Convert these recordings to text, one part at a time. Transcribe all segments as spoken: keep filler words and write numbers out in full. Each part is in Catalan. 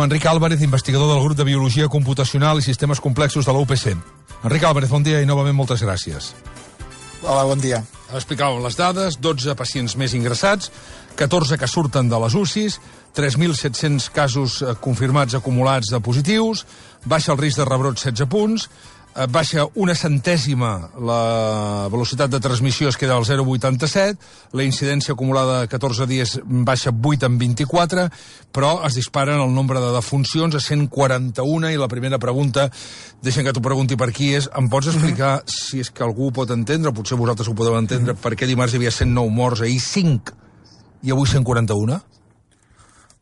Enric Álvarez, investigador del grup de Biologia Computacional i Sistemes Complexos de la U P C. Enric Álvarez, bon dia i novament moltes gràcies. Hola, bon dia. Explicàvem les dades, dotze pacients més ingressats, catorze que surten de les U C Is, tres mil set-cents casos confirmats acumulats de positius, baixa el risc de rebrot setze punts, baixa una centèsima la velocitat de transmissió, es queda al zero coma vuitanta-set, la incidència acumulada de catorze dies baixa vuit en vint-i-quatre, però es disparen el nombre de defuncions a cent quaranta-un, i la primera pregunta, deixem que t'ho pregunti per aquí, és, em pots explicar, mm-hmm. si és que algú ho pot entendre, potser vosaltres ho podeu entendre, mm-hmm. per què dimarts hi havia cent nou morts, ahir cinc, i avui cent quaranta-un?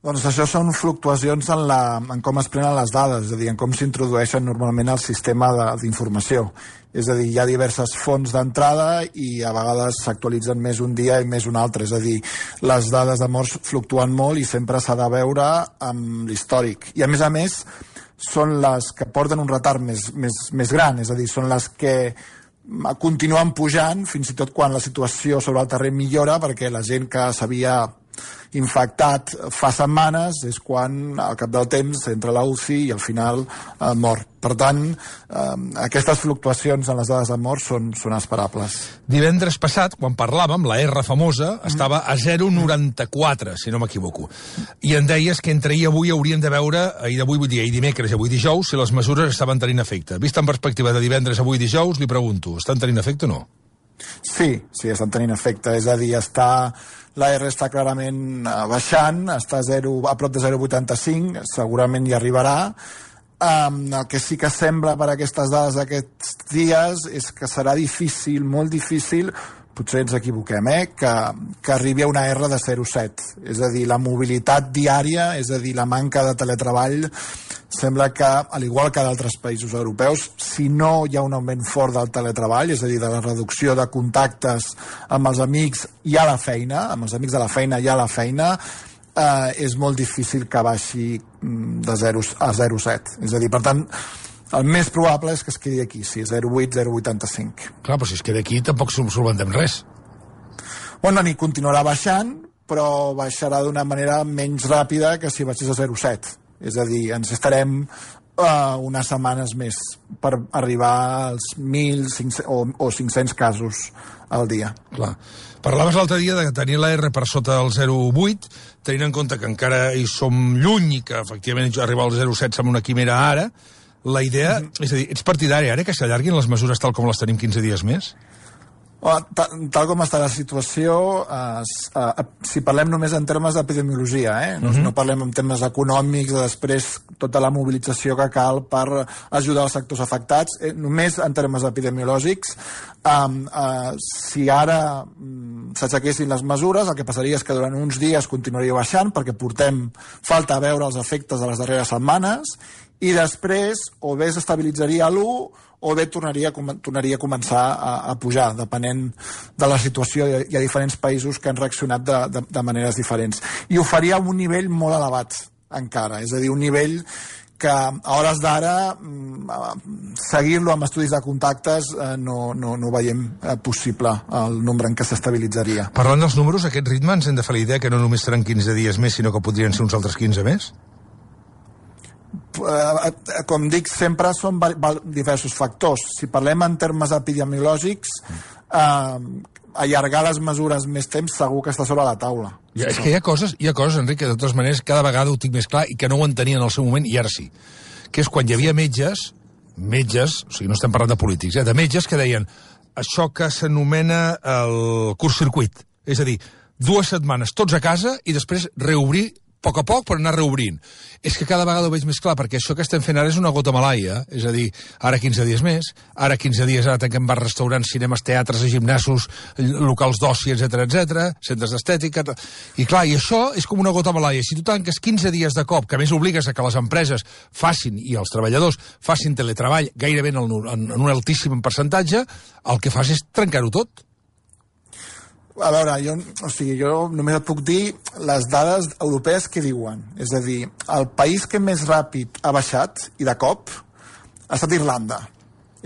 Doncs això són fluctuacions en, la, en com es prenen les dades, és a dir, en com s'introdueixen normalment al sistema d'informació. És a dir, hi ha diverses fonts d'entrada i a vegades s'actualitzen més un dia i més un altre. És a dir, les dades de morts fluctuen molt i sempre s'ha de veure amb l'històric. I a més a més, són les que porten un retard més, més, més gran, és a dir, són les que continuen pujant fins i tot quan la situació sobre el terreny millora, perquè la gent que s'havia infectat fa setmanes és quan al cap del temps entra a la U C I i al final eh, mor. Per tant, eh, aquestes fluctuacions en les dades de mort són, són esperables. Divendres passat, quan parlàvem, la R famosa mm. estava a zero coma noranta-quatre, si no m'equivoco. I em deies que entre ahir i avui hauríem de veure, ahir d'avui vull dir, ahir dimecres i avui dijous, si les mesures estaven tenint efecte. Vist en perspectiva de divendres, avui dijous, li pregunto, estan tenint efecte o no? Sí, sí, estan tenint efecte. És a dir, està... la R està clarament baixant, està a, zero, a prop de zero coma vuitanta-cinc, segurament hi arribarà. Um, el que sí que sembla per aquestes dades d'aquests dies és que serà difícil, molt difícil, potser ens equivoquem, eh? que, que arribi a una R de zero coma set. És a dir, la mobilitat diària, és a dir, la manca de teletreball, sembla que, al igual que d'altres països europeus, si no hi ha un augment fort del teletreball, és a dir, de la reducció de contactes amb els amics i a la feina, amb els amics de la feina i a la feina, eh, és molt difícil que baixi de zero a zero coma set. És a dir, per tant, el més probable és que es quedi aquí, sí, zero coma vuit, zero coma vuitanta-cinc. Clar, però si es queda aquí tampoc solventem res. Bueno, ni continuarà baixant, però baixarà d'una manera menys ràpida que si baixés a zero coma set. És a dir, ens estarem uh, unes setmanes més per arribar als mil o, o cinc-cents casos al dia. Clar. Parlaves l'altre dia de tenir la R per sota del zero coma vuit, tenint en compte que encara hi som lluny i que efectivament arribar al zero coma set sembla una quimera ara. La idea, mm-hmm. és a dir, ets partidari ara que s'allarguin les mesures tal com les tenim quinze dies més? Tal, tal com està la situació, eh, eh, si parlem només en termes d'epidemiologia, eh? no, uh-huh. no parlem en termes econòmics, de després tota la mobilització que cal per ajudar els sectors afectats, eh, només en termes epidemiològics, eh, eh, si ara mm, s'aixequessin les mesures, el que passaria és que durant uns dies continuaria baixant, perquè portem falta a veure els efectes de les darreres setmanes, i després o bé s'estabilitzaria a l'u o bé tornaria, tornaria a començar a, a pujar, depenent de la situació. Hi ha diferents països que han reaccionat de, de, de maneres diferents. I ho faria a un nivell molt elevat, encara. És a dir, un nivell que a hores d'ara seguir-lo amb estudis de contactes eh, no, no, no veiem eh, possible el nombre en què s'estabilitzaria. Parlant dels números, aquest ritme ens hem de fer la idea que no només seran quinze dies més, sinó que podrien ser uns altres quinze més? Com dic, sempre són diversos factors. Si parlem en termes epidemiològics, eh, allargar les mesures més temps segur que està sobre la taula. Ja, és que hi ha coses, hi ha coses, Enric, que de totes maneres cada vegada ho tinc més clar i que no ho entenien en el seu moment i ara sí. Que és quan hi havia metges, metges, o sigui, no estem parlant de polítics, eh, de metges que deien això que s'anomena el curt-circuit. És a dir, dues setmanes tots a casa i després reobrir a poc a poc per anar reobrint. És que cada vegada ho veig més clar, perquè això que estem fent ara és una gota malaia, és a dir, ara quinze dies més, ara quinze dies, ara tanquem bars, restaurants, cinemes, teatres, gimnasos, locals d'oci, etcètera, etcètera, centres d'estètica... I clar, i això és com una gota malaia. Si tu tanques quinze dies de cop, que més obligues a que les empreses facin, i els treballadors facin teletreball gairebé en, el, en, en un altíssim percentatge, el que fas és trencar-ho tot. A veure, jo, o sigui, jo només et puc dir les dades europees que diuen. És a dir, el país que més ràpid ha baixat, i de cop, ha estat Irlanda.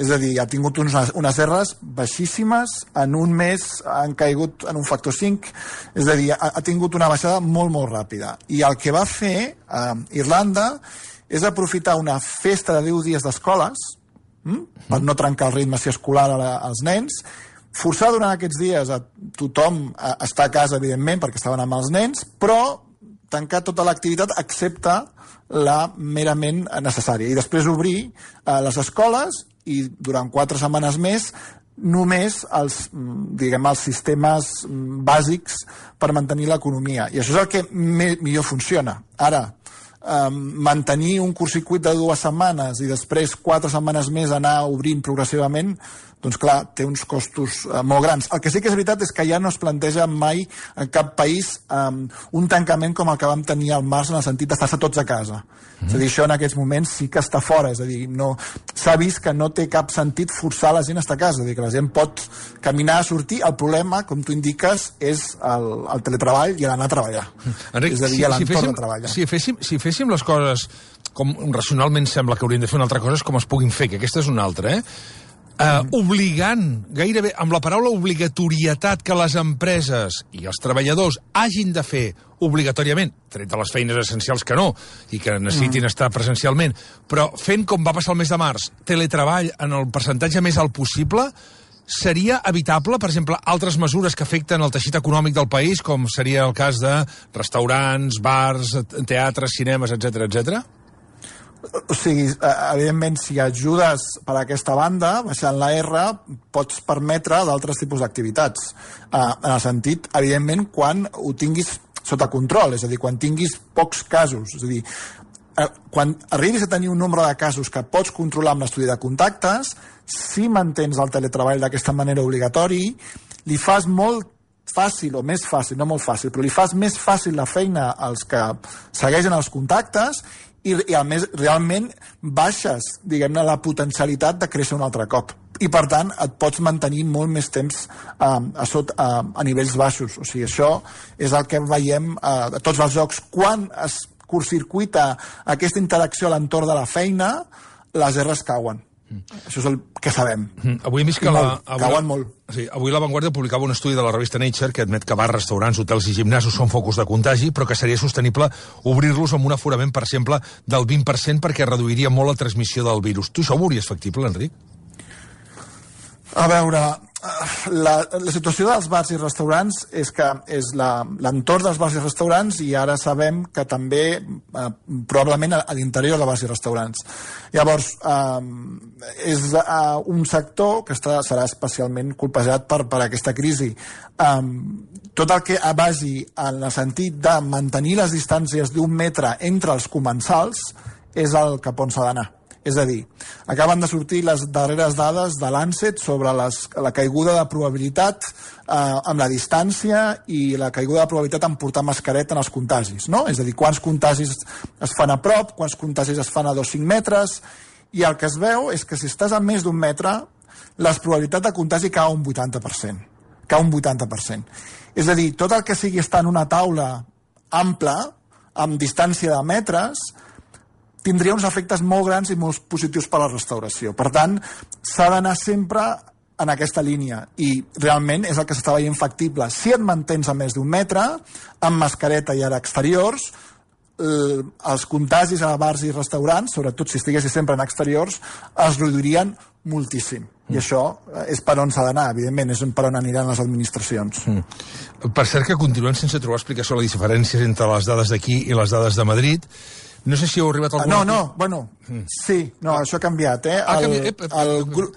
És a dir, ha tingut unes, unes erres baixíssimes, en un mes han caigut en un factor cinc, és a dir, ha, ha tingut una baixada molt, molt ràpida. I el que va fer eh, Irlanda és aprofitar una festa de deu dies d'escoles, hm? per no trencar el ritme escolar a la, als nens, forçar durant aquests dies a tothom a estar a casa, evidentment, perquè estaven amb els nens, però tancar tota l'activitat excepte la merament necessària. I després obrir eh, les escoles i durant quatre setmanes més només els, diguem, els sistemes bàsics per mantenir l'economia. I això és el que me, millor funciona. Ara, eh, mantenir un curtcircuit de dues setmanes i després quatre setmanes més anar obrint progressivament, doncs clar, té uns costos eh, molt grans. El que sí que és veritat és que ja no es planteja mai en cap país um, un tancament com el que vam tenir al març en el sentit d'estar-se tots a casa. Mm-hmm. És a dir, això en aquests moments sí que està fora, és a dir, no, s'ha vist que no té cap sentit forçar la gent a estar a casa, és a dir, que la gent pot caminar a sortir. El problema, com tu indiques, és el, el teletreball i l'anar a treballar. Enric, és a dir, si, l'entorn si féssim, de treballar. Si féssim, si féssim les coses com racionalment sembla que hauríem de fer una altra cosa és com es puguin fer, que aquesta és una altra, eh? Uh, obligant, gairebé, amb la paraula obligatorietat que les empreses i els treballadors hagin de fer obligatòriament, tret de les feines essencials que no, i que necessitin mm. estar presencialment, però fent com va passar el mes de març, teletreball en el percentatge més alt possible, seria evitable, per exemple, altres mesures que afecten el teixit econòmic del país, com seria el cas de restaurants, bars, teatres, cinemes, etcètera, etcètera? O sigui, evidentment, si ajudes per aquesta banda, baixant la R, pots permetre d'altres tipus d'activitats. En el sentit, evidentment, quan ho tinguis sota control, és a dir, quan tinguis pocs casos. És a dir, quan arribis a tenir un nombre de casos que pots controlar amb l'estudi de contactes, si mantens el teletreball d'aquesta manera obligatori, li fas molt fàcil, o més fàcil, no molt fàcil, però li fas més fàcil la feina als que segueixen els contactes i, i a més, realment baixes, diguem-ne, la potencialitat de créixer un altre cop. I, per tant, et pots mantenir molt més temps eh, a, sot, a, a nivells baixos. O sigui, això és el que veiem eh, a tots els jocs. Quan es curtcircuita aquesta interacció a l'entorn de la feina, les R's cauen. Mm. Això és el que sabem. Mm. Avui hem vist que la, avui, cauen molt. Sí, avui La Vanguardia publicava un estudi de la revista Nature que admet que bars, restaurants, hotels i gimnasos són focus de contagi, però que seria sostenible obrir-los amb un aforament, per exemple, del vint per cent perquè reduiria molt la transmissió del virus. Tu això ho veuries factible, Enric? A veure, la, la situació dels bars i restaurants és que és l'entorn dels bars i restaurants i ara sabem que també eh, probablement a, a l'interior de bars i restaurants. Llavors, eh, és eh, un sector que està, serà especialment colpejat per, per aquesta crisi. Eh, tot el que basi en el sentit de mantenir les distàncies d'un metre entre els comensals és el cap on s'ha d'anar. És a dir, acaben de sortir les darreres dades de l'Ancet sobre les, la caiguda de probabilitat eh, amb la distància i la caiguda de probabilitat en portar mascareta en els contagis, no? És a dir, quants contagis es fan a prop, quants contagis es fan a dos o cinc metres, i el que es veu és que si estàs a més d'un metre, la probabilitat de contagi cau un vuitanta per cent. Cau un vuitanta per cent. És a dir, tot el que sigui estar en una taula ampla, amb distància de metres, tindria uns efectes molt grans i molt positius per a la restauració. Per tant, s'ha d'anar sempre en aquesta línia i realment és el que s'està veient factible. Si et mantens a més d'un metre, amb mascareta i ara exteriors, eh, els contagis a bars i restaurants, sobretot si estiguessis sempre en exteriors, es reduirien moltíssim. I mm. això és per on s'ha d'anar, evidentment, és per on aniran les administracions. Mm. Per cert que continuem sense trobar explicació a les diferències entre les dades d'aquí i les dades de Madrid. No sé si heu arribat a alguna... No, no, bueno, mm. sí, no, això ha canviat, eh? Ha canviat, eh? El grup...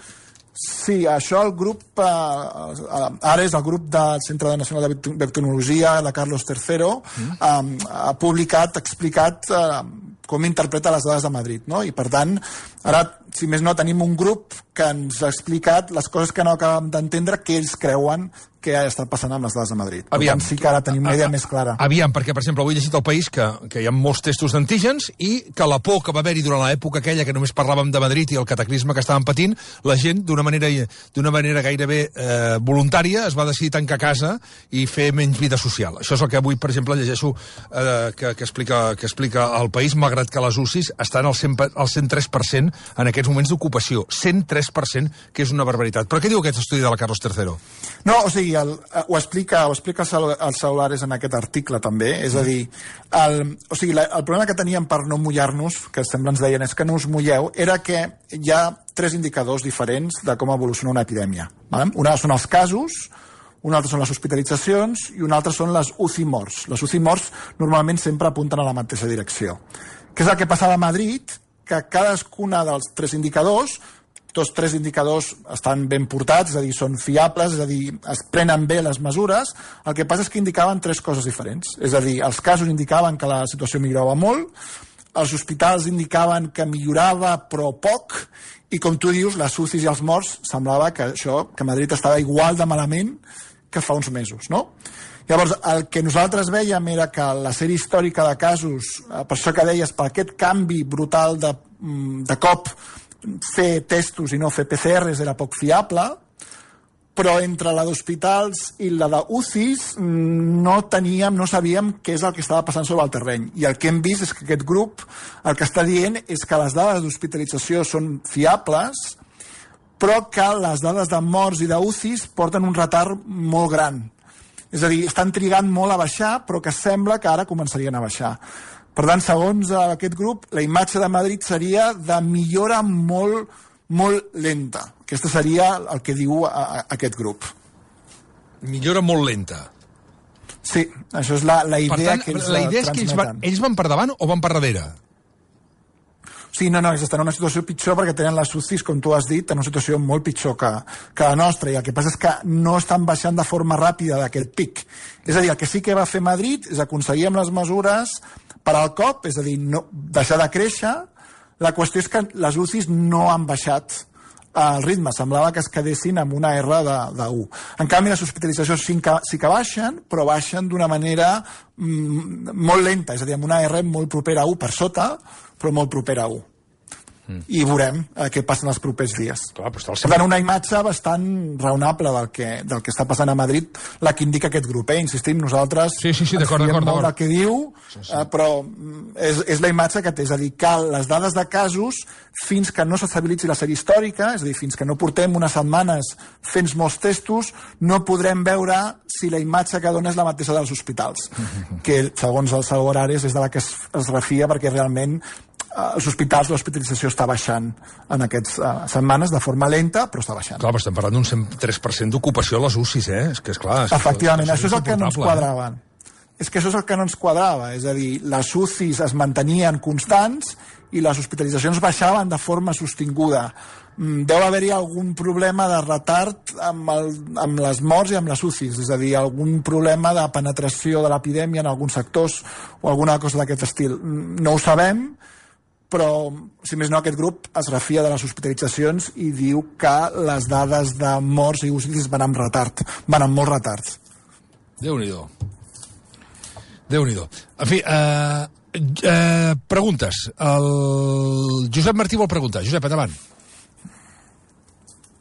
Sí, això el grup, eh, ara és el grup del Centre Nacional de Biotecnologia, la Carlos tercero, mm. eh, ha publicat, ha explicat eh, com interpreta les dades de Madrid, no? I per tant, ara, si més no, tenim un grup que ens ha explicat les coses que no acabem d'entendre que ells creuen què ha estat passant amb les dades de Madrid. Aviam. Per tant, sí que ara tenim una idea més clara. Aviam, perquè, per exemple, avui he llegit al País que, que hi ha molts testos d'antígens i que la por que va haver-hi durant l'època aquella que només parlàvem de Madrid i el cataclisme que estàvem patint, la gent, d'una manera, d'una manera gairebé eh, voluntària, es va decidir tancar a casa i fer menys vida social. Això és el que avui, per exemple, llegeixo eh, que, que, explica, que explica el País, malgrat que les U C Is estan al cent, al cent tres per cent en aquests moments d'ocupació. cent tres per cent, que és una barbaritat. Però què diu aquest estudi de la Carlos tercero? No, o sigui, el, ho explica, ho explica el Celulares en aquest article també, és a dir, el, o sigui, la, el problema que teníem per no mullar-nos, que sempre ens deien és que no us mulleu, era que hi ha tres indicadors diferents de com evoluciona una epidèmia. Vale? Una són els casos, una altra són les hospitalitzacions i una altra són les U C I morts. Les U C I morts normalment sempre apunten a la mateixa direcció. Què és el que passava a Madrid? Que cadascuna dels tres indicadors, tots tres indicadors estan ben portats, és a dir, són fiables, és a dir, es prenen bé les mesures, el que passa és que indicaven tres coses diferents. És a dir, els casos indicaven que la situació millorava molt, els hospitals indicaven que millorava però poc, i com tu dius, les U C Is i els morts, semblava que això, que Madrid estava igual de malament que fa uns mesos, no? Llavors, el que nosaltres veiem era que la sèrie històrica de casos, per això que deies, per aquest canvi brutal de, de cop, fer testos i no fer P C Rs era poc fiable, però entre la d'hospitals i la de U C Is no teníem, no sabíem què és el que estava passant sobre el terreny. I el que hem vist és que aquest grup el que està dient és que les dades d'hospitalització són fiables, però que les dades de morts i de U C Is porten un retard molt gran. És a dir, estan trigant molt a baixar, però que sembla que ara començarien a baixar. Per tant, segons aquest grup, la imatge de Madrid seria de millora molt, molt lenta. Aquesta seria el que diu a, a, aquest grup. Millora molt lenta. Sí, això és la, la idea per tant, que ells la idea és que ells van, ells van per davant o van per darrere? Sí, no, no, ells estan en una situació pitjor perquè tenen les U C Is, com tu has dit, en una situació molt pitjor que, que la nostra, i el que passa és que no estan baixant de forma ràpida d'aquest pic. És a dir, el que sí que va fer Madrid és aconseguir amb les mesures per al cop, és a dir, no, deixar de créixer. La qüestió és que les U C Is no han baixat el ritme, semblava que es quedessin amb una R de, de u. En canvi, les hospitalitzacions sí que, sí que baixen, però baixen d'una manera mm, molt lenta, és a dir, amb una R molt propera a u per sota, però molt propera a u. Mm. I veurem eh, què passa en els propers dies. Clar, però per tant, una imatge bastant raonable del que, del que està passant a Madrid, la que indica aquest grup. Eh? Insistim, nosaltres sí, sí, sí, ens fiem molt del que diu, sí, sí. Eh, però és, és la imatge que té. És a dir, que les dades de casos, fins que no s'estabilitzi la sèrie històrica, és a dir, fins que no portem unes setmanes fent molts testos, no podrem veure si la imatge que dona és la mateixa dels hospitals, que segons el Celulares és de la que es, es refia perquè realment als hospitals l'hospitalització està baixant en aquestes uh, setmanes de forma lenta, però està baixant. Clar, però estem parlant d'un cent tres per cent d'ocupació a les U C Is, eh? És que, esclar... És Efectivament, que això és el que no ens quadrava. Eh? És que això és el que no ens quadrava, és a dir, les U C Is es mantenien constants i les hospitalitzacions baixaven de forma sostinguda. Deu haver-hi algun problema de retard amb, el, amb les morts i amb les U C Is, és a dir, algun problema de penetració de l'epidèmia en alguns sectors o alguna cosa d'aquest estil. No ho sabem, però, si més no, aquest grup es refia de les hospitalitzacions i diu que les dades de morts i U C Is van amb retard, van amb molt retard. Déu-n'hi-do. Déu-n'hi-do. En fi, eh, eh, preguntes. El Josep Martí vol preguntar. Josep, endavant.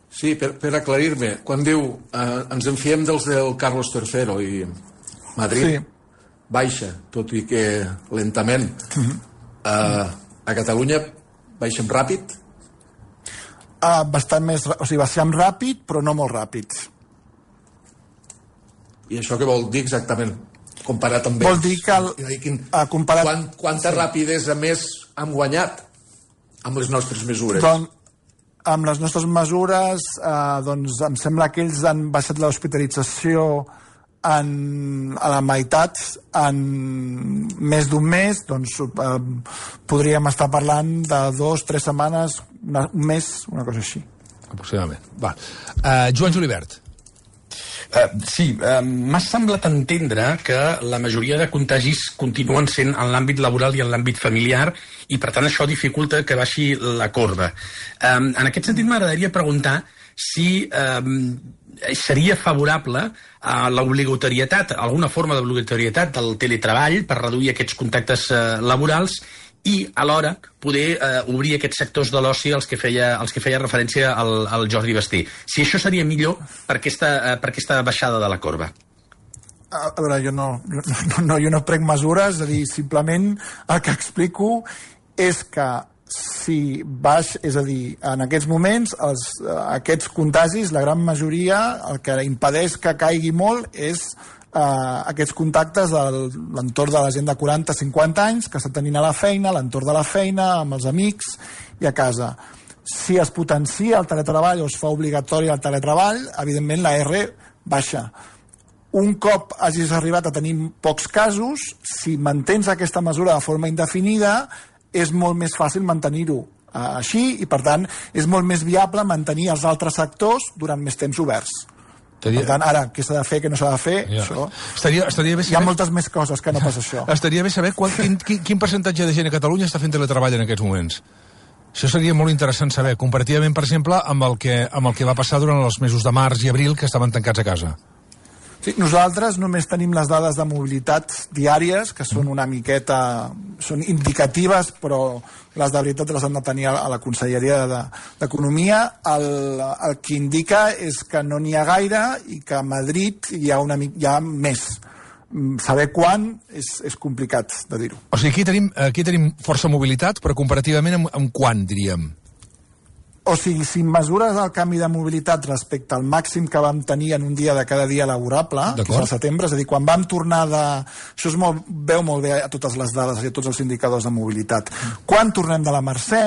Sí, per, per aclarir-me, quan diu eh, ens en fiem dels del Carlos tercero i Madrid sí. baixa, tot i que lentament, uh-huh. eh, a Catalunya baixem ràpid? Uh, bastant més, o sigui, baixem ràpid, però no molt ràpid. I això què vol dir exactament? Comparat amb vol dir que... El, quin, uh, comparat... Quant, quanta sí. rapidesa més hem guanyat amb les nostres mesures? Doncs, amb les nostres mesures, eh, doncs em sembla que ells han baixat l'hospitalització en, a la meitat en més d'un mes, doncs eh, podríem estar parlant de dos, tres setmanes, una, un mes, una cosa així. Aproximadament. Va. Uh, Joan Julibert. Uh, sí, uh, m'ha semblat entendre que la majoria de contagis continuen sent en l'àmbit laboral i en l'àmbit familiar i per tant això dificulta que baixi la corba. Um, en aquest sentit m'agradaria preguntar si eh, seria favorable a l'obligatorietat, alguna forma d'obligatorietat del teletreball per reduir aquests contactes eh, laborals i alhora poder eh, obrir aquests sectors de l'oci als que feia, als que feia referència al, al Jordi Basté. Si això seria millor per aquesta, eh, per aquesta baixada de la corba. A veure, jo no, no, no, jo no prenc mesures, és a dir, simplement el que explico és que si baix, és a dir, en aquests moments els, aquests contagis, la gran majoria, el que impedeix que caigui molt és eh, aquests contactes de l'entorn de la gent de quaranta a cinquanta anys que està tenint a la feina, a l'entorn de la feina, amb els amics i a casa. Si es potencia el teletreball o es fa obligatori el teletreball, evidentment la R baixa. Un cop hagis arribat a tenir pocs casos, si mantens aquesta mesura de forma indefinida, és molt més fàcil mantenir-ho uh, així i, per tant, és molt més viable mantenir els altres sectors durant més temps oberts. Estaria... Per tant, ara, què s'ha de fer, què no s'ha de fer, ja. Això... Estaria, estaria bé saber... Hi ha moltes més coses que no pas això. Estaria bé saber quant, quin, quin, quin percentatge de gent a Catalunya està fent teletreball en aquests moments. Això seria molt interessant saber, comparativament, per exemple, amb el que, amb el que va passar durant els mesos de març i abril, que estaven tancats a casa. Sí, nosaltres només tenim les dades de mobilitat diàries, que són una miqueta, són indicatives, però les de veritat les han de tenir a la Conselleria d'Economia. El, el que indica és que no n'hi ha gaire i que a Madrid hi ha, una, hi ha més. Saber quan és, és complicat de dir-ho. O sigui, aquí tenim, aquí tenim força mobilitat, però comparativament amb, amb quan, diríem? O sigui, si mesures el canvi de mobilitat respecte al màxim que vam tenir en un dia de cada dia laborable, que és al setembre, és a dir, quan vam tornar de... Això es molt, veu molt bé a totes les dades i a tots els indicadors de mobilitat. Quan tornem de la Mercè,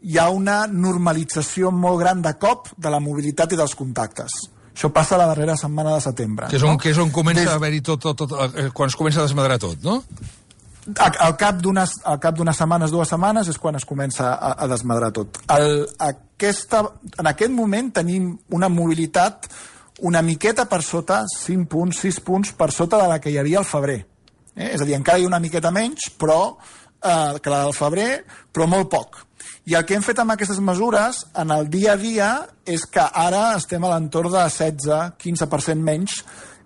hi ha una normalització molt gran de cop de la mobilitat i dels contactes. Això passa la darrera setmana de setembre. Que és on, no? que és on comença Des... a haver-hi tot, tot, tot, quan es comença a desmadrar tot, no? Al cap d'unes al cap d'unes setmanes, dues setmanes, és quan es comença a, a desmadrar tot. El, aquesta, en aquest moment tenim una mobilitat una miqueta per sota, cinc punts, sis punts, per sota de la que hi havia al febrer. Eh? És a dir, encara hi ha una miqueta menys, però eh, que la del febrer, però molt poc. I el que hem fet amb aquestes mesures, en el dia a dia, és que ara estem a l'entorn de setze a quinze per cent menys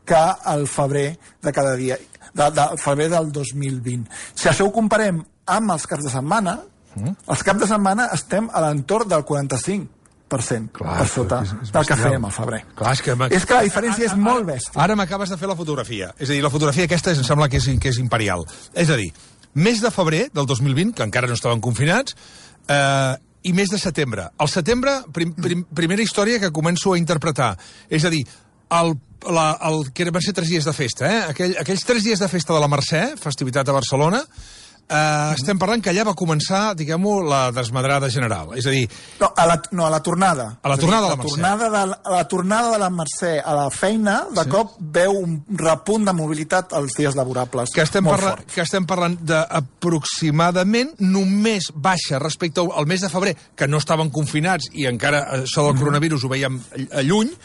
que el febrer de cada dia. De, de febrer del dos mil vint. Si això ho comparem amb els caps de setmana, mm. els caps de setmana estem a l'entorn del quaranta-cinc per cent Clar, per sota és, és del que fèiem al febrer. Clar, és, que és que la diferència és molt bèstia. Ara m'acabes de fer la fotografia. És a dir, la fotografia aquesta em sembla que és, que és imperial. És a dir, mes de febrer del dos mil vint, que encara no estaven confinats, eh, i mes de setembre. Al setembre, prim, prim, primera història que començo a interpretar. És a dir, el La, el, que van ser tres dies de festa, eh? Aquell, aquells tres dies de festa de la Mercè, festivitat a Barcelona, eh, mm. estem parlant que allà va començar, diguem-ho, la desmadrada general. És a dir... No, a la, no, a la tornada. A la tornada dir, de la Mercè. Tornada de, a la tornada de la Mercè a la feina, de sí. cop veu un repunt de mobilitat als dies laborables. Que estem, parla, fort. que estem parlant d'aproximadament només baixa respecte al mes de febrer, que no estaven confinats i encara això del mm. coronavirus ho veiem a lluny,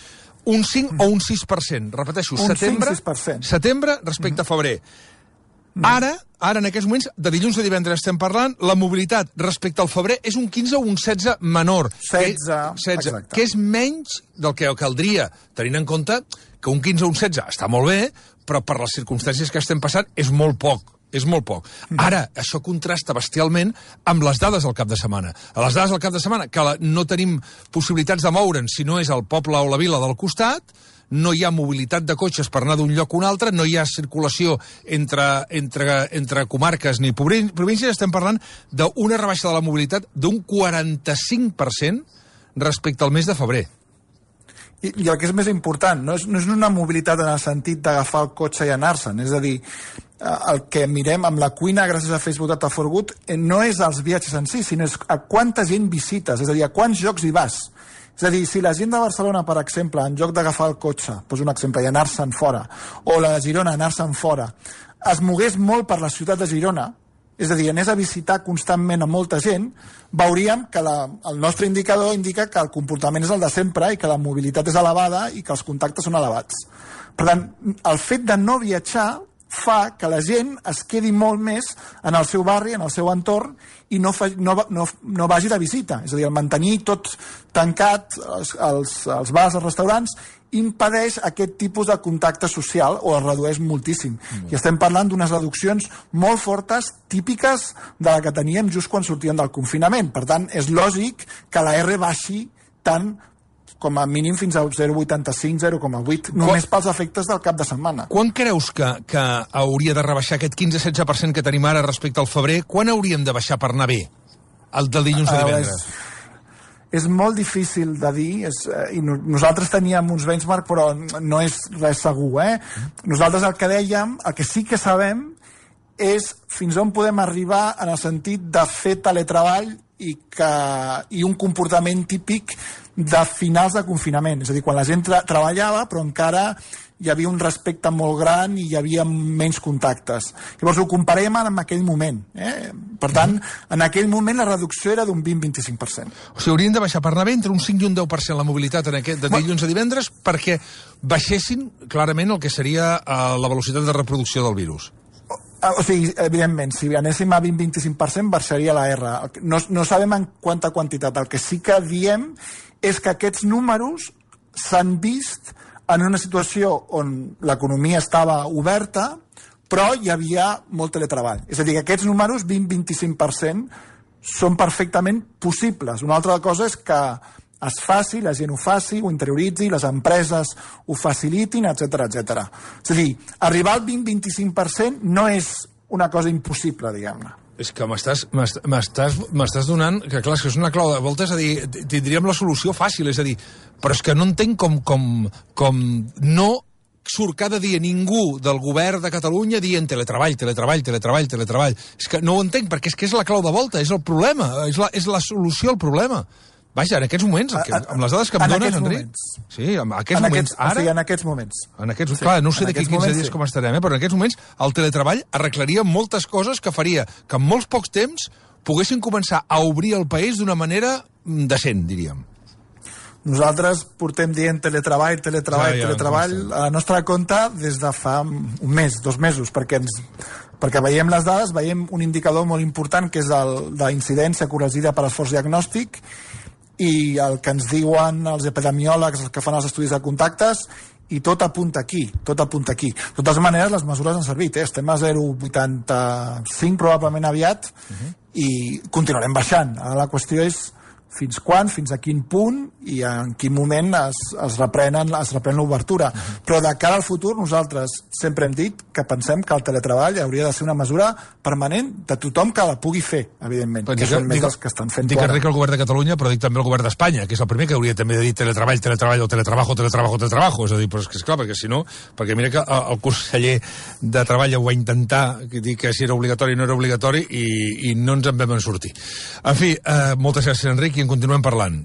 un cinc o un sis per cent. Repeteixo, un setembre, cinc, sis per cent. Setembre respecte mm-hmm. a febrer. Ara, ara, en aquests moments, de dilluns a divendres estem parlant, la mobilitat respecte al febrer és un quinze o un setze menor. setze, setze exacte. Que és menys del que caldria, tenint en compte que un quinze o un setze està molt bé, però per les circumstàncies que estem passant és molt poc. És molt poc. Ara, això contrasta bestialment amb les dades del cap de setmana. A les dades del cap de setmana, que la, no tenim possibilitats de moure'ns si no és el poble o la vila del costat, no hi ha mobilitat de cotxes per anar d'un lloc a un altre, no hi ha circulació entre, entre, entre comarques ni províncies, estem parlant d'una rebaixa de la mobilitat d'un quaranta-cinc per cent respecte al mes de febrer. I, i el que és més important, no és, no és una mobilitat en el sentit d'agafar el cotxe i anar-se'n, és a dir, el que mirem amb la cuina gràcies a Facebook Data for Good no és els viatges en si, sinó és a quanta gent visites, és a dir, a quants llocs hi vas. És a dir, si la gent de Barcelona, per exemple, en lloc d'agafar el cotxe, poso un exemple, i anar-se'n fora, o la de Girona, anar-se'n fora, es mogués molt per la ciutat de Girona, és a dir, anés a visitar constantment a molta gent, veuríem que la, el nostre indicador indica que el comportament és el de sempre i que la mobilitat és elevada i que els contactes són elevats. Per tant, el fet de no viatjar fa que la gent es quedi molt més en el seu barri, en el seu entorn, i no, fa, no, no, no vagi de visita. És a dir, el mantenir tot tancat, els, els, els bars, els restaurants, impedeix aquest tipus de contacte social o es redueix moltíssim. Mm. I estem parlant d'unes reduccions molt fortes, típiques de la que teníem just quan sortíem del confinament. Per tant, és lògic que la R baixi tant com a mínim fins a zero coma vuitanta-cinc, zero coma vuit, només Quan... pels efectes del cap de setmana. Quan creus que, que hauria de rebaixar aquest quinze setze per cent que tenim ara respecte al febrer? Quan hauríem de baixar per anar bé? El del dilluns a divendres? Uh, és, és molt difícil de dir, és, eh, i no, nosaltres teníem uns benchmark, però no és res segur, eh? Nosaltres el que dèiem, el que sí que sabem, és fins on podem arribar en el sentit de fer teletreball i, que, i un comportament típic de finals de confinament. És a dir, quan la gent tra treballava, però encara hi havia un respecte molt gran i hi havia menys contactes. Llavors ho comparem amb aquell moment. Eh? Per tant, en aquell moment la reducció era d'un vint a vint-i-cinc per cent. O sigui, haurien de baixar per anar bé entre un cinc i un deu per cent la mobilitat en aquest, de dilluns a divendres perquè baixessin clarament el que seria uh, la velocitat de reproducció del virus. O sigui, evidentment, si anéssim a vint a vint-i-cinc per cent baixaria la R. No, no sabem en quanta quantitat. El que sí que diem és que aquests números s'han vist en una situació on l'economia estava oberta, però hi havia molt teletreball. És a dir, que aquests números, vint a vint-i-cinc per cent, són perfectament possibles. Una altra cosa és que es faci, la gent ho faci, ho interioritzi, les empreses ho facilitin, etcètera, etcètera. És a dir, arribar al vint a vint-i-cinc per cent no és una cosa impossible, diguem-ne. És que m'estàs m'estàs donant, que clar, és que és una clau de volta, és a dir, tindríem la solució fàcil, és a dir, però és que no entenc com, com, com no surt cada dia ningú del govern de Catalunya dient teletreball, teletreball, teletreball, teletreball. És que no ho entenc, perquè és que és la clau de volta, és el problema, és la, és la solució al problema. Vaja, en aquests moments, que, amb les dades que em en dones, Enric... Moments. Sí, en aquests en moments, aquests, ara... O sigui, en aquests moments. En aquests, sí, clar, no sé d'aquí quinze dies sí. com estarem, eh? Però en aquests moments el teletreball arreglaria moltes coses que faria que en molts pocs temps poguessin començar a obrir el país d'una manera decent, diríem. Nosaltres portem dient teletreball, teletreball, ja, ja, teletreball a la nostra compte des de fa un mes, dos mesos, perquè ens... perquè veiem les dades, veiem un indicador molt important que és el d'incidència corregida per esforç diagnòstic, i el que ens diuen els epidemiòlegs, els que fan els estudis de contactes, i tot apunta aquí, tot apunta aquí. De totes maneres, les mesures han servit, eh? Estem a zero coma vuitanta-cinc probablement aviat, uh-huh. i continuarem baixant. Ara la qüestió és fins quan, fins a quin punt i en quin moment es, es reprenen es reprèn l'obertura. Uh-huh. Però de cara al futur nosaltres sempre hem dit que pensem que el teletreball hauria de ser una mesura permanent de tothom que la pugui fer, evidentment, però que dic, són més els que estan fent. Dic Enric el govern de Catalunya, però dic també el govern d'Espanya, que és el primer que hauria també de dir teletreball, teletreball o teletrabajo, teletrabajo, teletrabajo. És a dir, però és que és clar, perquè si no, perquè mira que el conseller de Treball ho va intentar, que dir que si era obligatori o no era obligatori, i, i no ens en vam sortir. En fi, eh, moltes gràcies, Enric, i en continuem parlant.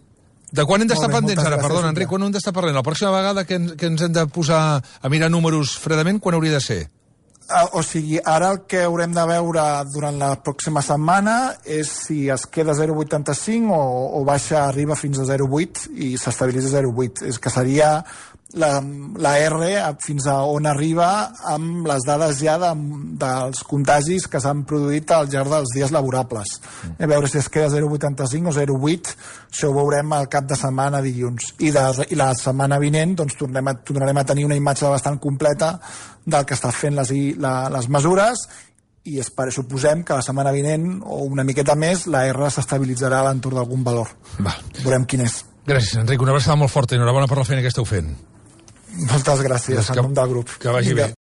De quan hem d'estar pendents ara? Perdona, Enric, quan hem d'estar parlant? La pròxima vegada que ens, que ens hem de posar a mirar números fredament, quan hauria de ser? Uh, o sigui, ara el que haurem de veure durant la pròxima setmana és si es queda zero coma vuitanta-cinc o, o baixa, arriba fins a zero coma vuit i s'estabilitza a zero coma vuit. És que seria la, la R fins a on arriba amb les dades ja de, dels contagis que s'han produït al llarg dels dies laborables. Mm. A veure si es queda zero coma vuitanta-cinc o zero coma vuit, això ho veurem al cap de setmana dilluns. I, de, i la setmana vinent doncs, tornem a, tornarem a tenir una imatge bastant completa del que està fent les, la, les mesures, i espero, suposem que la setmana vinent o una miqueta més la R s'estabilitzarà a l'entorn d'algun valor. Va. Veurem quin és. Gràcies, Enric. Una abraçada molt forta i enhorabona per la feina que esteu fent. Moltes gràcies, en nom del grup. Que vagi Vinga. bé.